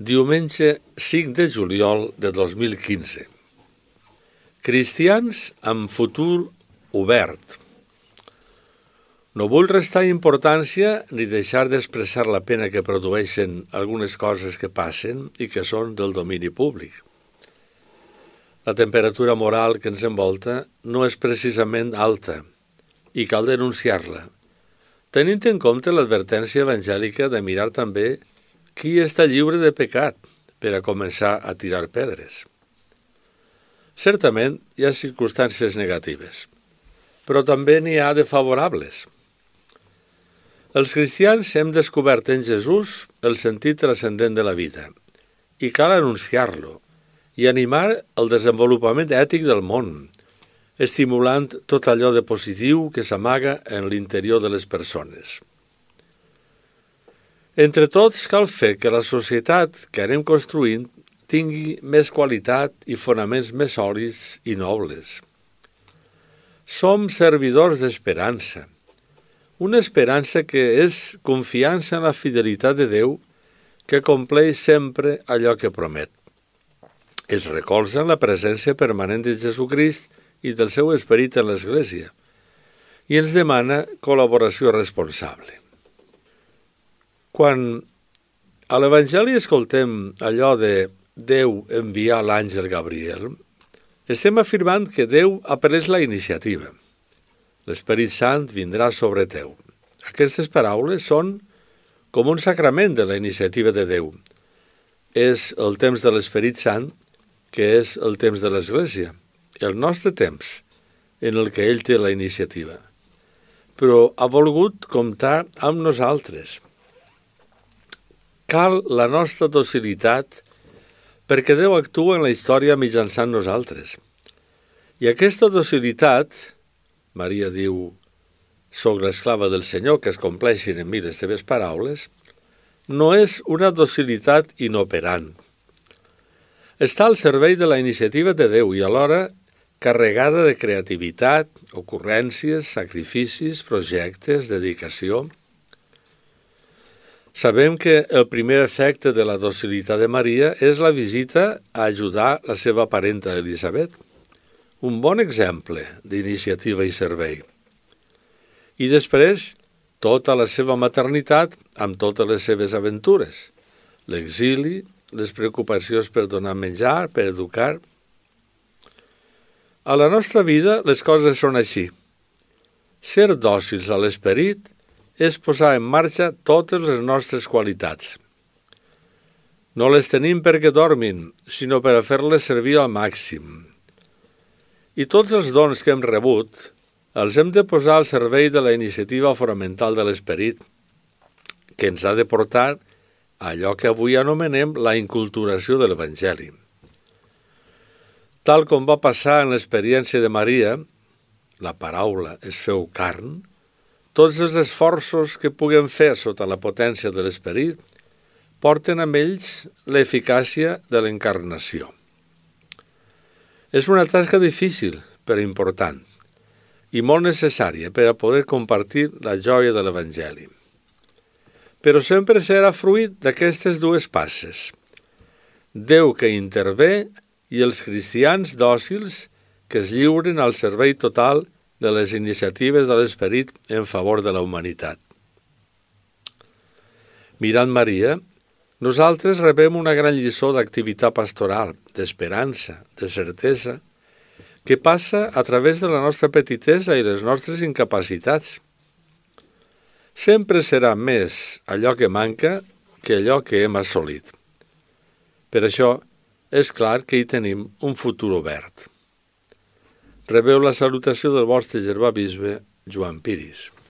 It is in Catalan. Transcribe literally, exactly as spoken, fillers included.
Diumenge cinc de juliol de dos mil quinze. Cristians amb futur obert. No vull restar importància ni deixar d'expressar la pena que produeixen algunes coses que passen i que són del domini públic. La temperatura moral que ens envolta no és precisament alta i cal denunciar-la, tenint en compte l'advertència evangèlica de mirar també qui està lliure de pecat per a començar a tirar pedres. Certament hi ha circumstàncies negatives, però també n'hi ha de favorables. Els cristians hem descobert en Jesús el sentit transcendent de la vida i cal anunciar-lo i animar el desenvolupament ètic del món, estimulant tot allò de positiu que s'amaga en l'interior de les persones. Entre tots cal fer que la societat que anem construint tingui més qualitat i fonaments més sòlids i nobles. Som servidors d'esperança, una esperança que és confiança en la fidelitat de Déu que compleix sempre allò que promet. Es recolza en la presència permanent de Jesucrist i del seu esperit en l'Església i ens demana col·laboració responsable. Quan a l'Evangeli escoltem allò de Déu enviar l'àngel Gabriel, estem afirmant que Déu ha pres la iniciativa. L'Esperit Sant vindrà sobre teu. Aquestes paraules són com un sacrament de la iniciativa de Déu. És el temps de l'Esperit Sant, que és el temps de l'Església, el nostre temps, en el que ell té la iniciativa. Però ha volgut comptar amb nosaltres. Cal la nostra docilitat perquè Déu actua en la història mitjançant nosaltres. I aquesta docilitat, Maria diu, «Soc l'esclava del Senyor, que es compleixin en mi les teves paraules», no és una docilitat inoperant. Està al servei de la iniciativa de Déu i alhora carregada de creativitat, ocurrències, sacrificis, projectes, dedicació. Sabem que el primer efecte de la docilitat de Maria és la visita a ajudar la seva parenta Elisabet, un bon exemple d'iniciativa i servei. I després, tota la seva maternitat amb totes les seves aventures, l'exili, les preocupacions per donar menjar, per educar. A la nostra vida les coses són així. Ser dòcils a l'esperit és posar en marxa totes les nostres qualitats. No les tenim perquè dormin, sinó per a fer-les servir al màxim. I tots els dons que hem rebut els hem de posar al servei de la iniciativa fonamental de l'esperit, que ens ha de portar a allò que avui anomenem la inculturació de l'Evangeli. Tal com va passar en l'experiència de Maria, la paraula es feu carn, tots els esforços que puguem fer sota la potència de l'esperit porten amb ells l'eficàcia de l'encarnació. És una tasca difícil, però important, i molt necessària per a poder compartir la joia de l'Evangeli. Però sempre serà fruit d'aquestes dues passes. Déu que intervé i els cristians dòcils que es lliuren al servei total de les iniciatives de l'esperit en favor de la humanitat. Mirant Maria, nosaltres rebem una gran lliçó d'activitat pastoral, d'esperança, de certesa, que passa a través de la nostra petitesa i les nostres incapacitats. Sempre serà més allò que manca que allò que hem assolit. Per això, és clar que hi tenim un futur obert. Rebeu la salutació del vostre germà bisbe Joan Piris.